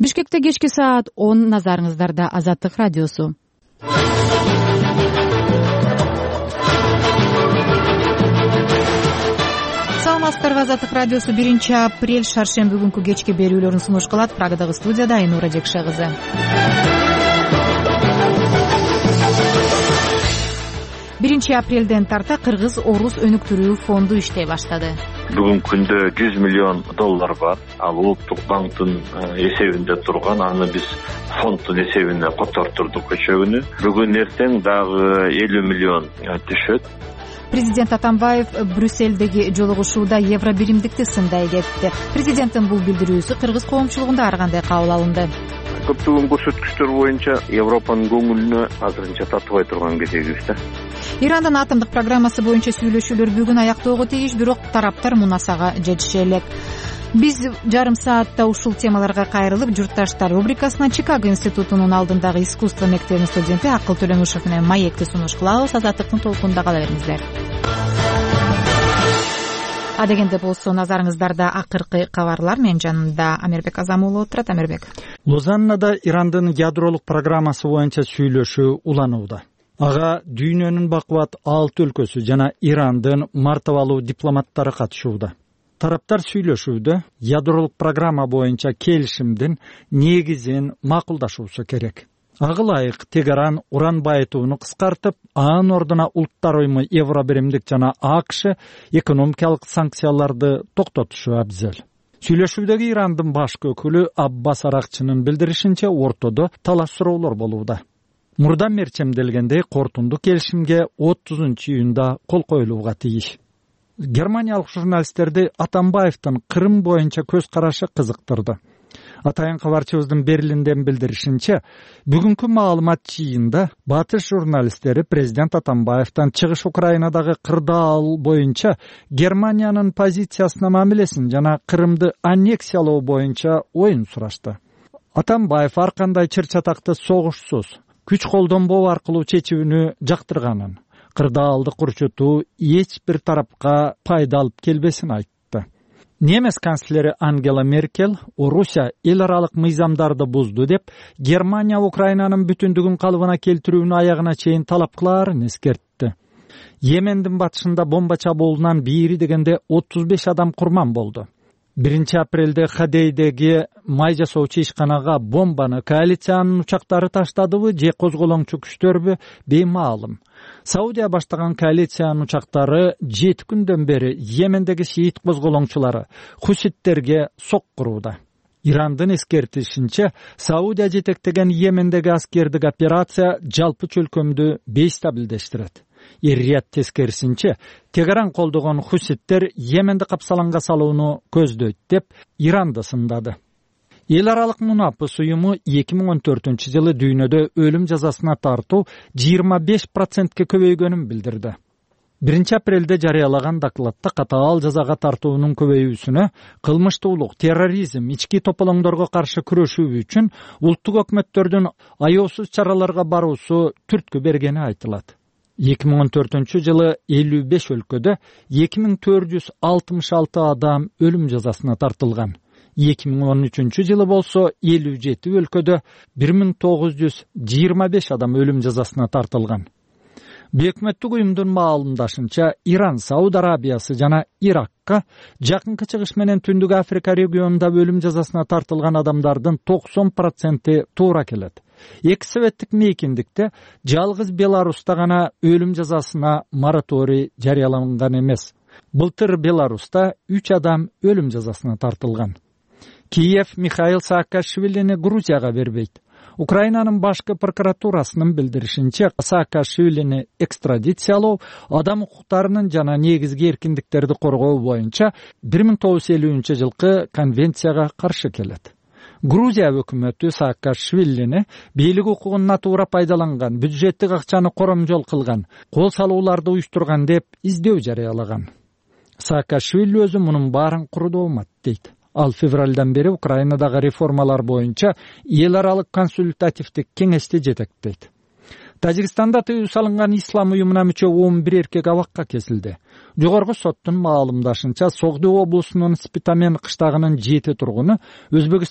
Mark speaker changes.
Speaker 1: Бишкекте кечки саат 10, назарыңыздарда Азаттык радиосу. Саламатсыздарбы, Азаттык радиосу 1 апрель шаршемби күнкү кечки берүүлөрүн сунуш кылат. Прагадагы студияда Айнура Жекше кызы. 1 апрелден тарта Кыргыз-Орус өнүктүрүү фонду иштей баштады.
Speaker 2: Бүгүнкү күндө $100 миллион бар. Ал улуттук банктын эсебинде турган. Аны биз фонддун эсебине котортурдук өчө күнү. Бүгүн эртең дагы $50 миллион түшөт.
Speaker 1: Президент Атамбаев Брюссельдеги жолугушууда евро биримдикти сындай кетти. Президенттин бул билдирүүсү кыргыз коомчулугунда ар кандай кабыл алынды?
Speaker 2: Көптөгөн көрсөткүчтөр боюнча Европанын көңүлүнө азырынча татыбай турган кезегибиз да.
Speaker 1: Ирандын атомдук программасы боюнча сүйлөшүүлөр бүгүн аяктоого тийиш, бирок тараптар мунасага жетише элек. Биз жарым саатта ушул темаларга кайрылып, журтташтар рубрикасына Чикаго институтунун алдындагы искусство мектебинин студенти Акыл Төлөмүшев менен маекти сунуш кылабыз. Азаттыктын толкунунда кала бериңиздер. Адегенде болсо назарыңыздарда акыркы кабарлар. Менин жанымда Амербек Азам уулу отурат. Амербек.
Speaker 3: Лозаннада Ирандын ядролук программасы боюнча сүйлөшүү уланууда. Ага дүйнөнүн бакубат 6 өлкөсү жана Ирандын мартабалуу дипломаттары катышууда. Тараптар сүйлөшүүдө ядролук программа боюнча келишимдин негизин макулдашуусу керек. Ага ылайык Тегеран уран байытууну кыскартып, анын ордуна улуттар уюму евро биримдик жана АКШ экономикалык санкцияларды токтотушу абзел. Сүйлөшүүдөгү Ирандын башкы өкүлү Аббас Аракчынын билдиришинче, ортодо талаш суроолор болууда. Мурда мерчемделгендей кортунду келишимге 30-июнда кол коюлууга тийиш. Германиялык журналисттерди Атамбаевдин Кырым боюнча көз карашы кызыктырды. Атайын кабарчыбыздын Берлинден билдиришинче, бүгүнкү маалымат жыйында батыш журналисттери президент Атамбаевден чыгыш Украинадагы кырдаал боюнча Германиянын позициясына мамилесин жана Кырымды аннексиялоо боюнча оюн сурашты. Атамбаев ар кандай чыр-чатакты согушсуз, күч колдонбоо аркылуу чечүүнү жактырганын, кырдаалды курчутуу эч бир тарапка пайда алып келбесин айтты. Немес канцлери Ангела Меркель Орусия эл аралык мыйзамдарды бузду деп, Германия Украинанын бүтүндүгүн калыбына келтирүүнү аягына чейин талап кылаарын эскертти. Йемендин батышында бомба чабуулунан бири дегенде 35 адам курман болду. 1 апрелде Хадейдеги май жасоочу ишканага бомбаны коалициянын учактары таштадыбы же козголоңчу күчтөрбү беймаалым. Саудия баштаган коалициянын учактары 7 күндөн бери Йемендеги шиит козголоңчулары хуситтерге соккурууда. Ирандын эскертишинче, Саудия жетектеген Йемендеги аскердик операция жалпы чөлкөмдү бейстабилдештирет. Эр-Рияд тескерисинче, Тегеран колдогон хуситтер Йеменди капсаланга салууну көздөйт деп Иранды сындады. Эл аралык мунапыс уюму 2014-жылы дүйнөдө өлүм жазасына тартуу 25%ке көбөйгөнүн билдирди. 1 апрелде жарыялаган докладта катаал жазага тартуунун көбөйүүсүнө кылмыштуулук, терроризм, ички тополоңдорго каршы күрөшүү үчүн улуттук өкмөттөрдүн аяосуз чараларга баруусу түрткү бергени айтылат. 2014-жылы 55 өлкөдө 2466 адам өлүм жазасына тартылган. 2013-жылы болсо 57 өлкөдө 1925 адам өлүм жазасына тартылган. Өкмөттүк уюмдун маалымдашынча, Иран, Сауд Арабиясы жана Иракка жакынкы чыгыш менен Түндүк Африка регионунда өлүм жазасына тартылган адамдардын 90% туура келет. Эки советтик мейкиндикте жалгыз Беларуста гана өлүм жазасына мораторий жарыяланган эмес. Былтыр Беларуста 3 адам өлүм жазасына тартылган. Киев Михаил Саакашвилини Грузияга бербейт. Украинанын башкы прокуратурасынын билдиришинче, Саакашвилини экстрадициялоо адам укуктарынын жана негизги эркиндиктерди коргоо боюнча 1950-жылкы конвенцияга каршы келет. Грузия өкмөтү Саакашвилини бийлик укугун натуура пайдаланган, бюджеттик акчаны коромжол кылган, кол салууларды уюштурган деп издөө жарыялаган. Саакашвили өзү мунун баарын курдоомат дейт. Ал февралдан бери Украинадагы реформалар боюнча эл аралык консультативдик кеңешти жетектейт. Тажикстанда тыюу салынган ислам уюмуна мүчө 11 эркек абакка кесилди. Жогорку соттун маалымдашынча, Согду облусунун Спитамен кыштагынын 7 тургуну Өзбекстан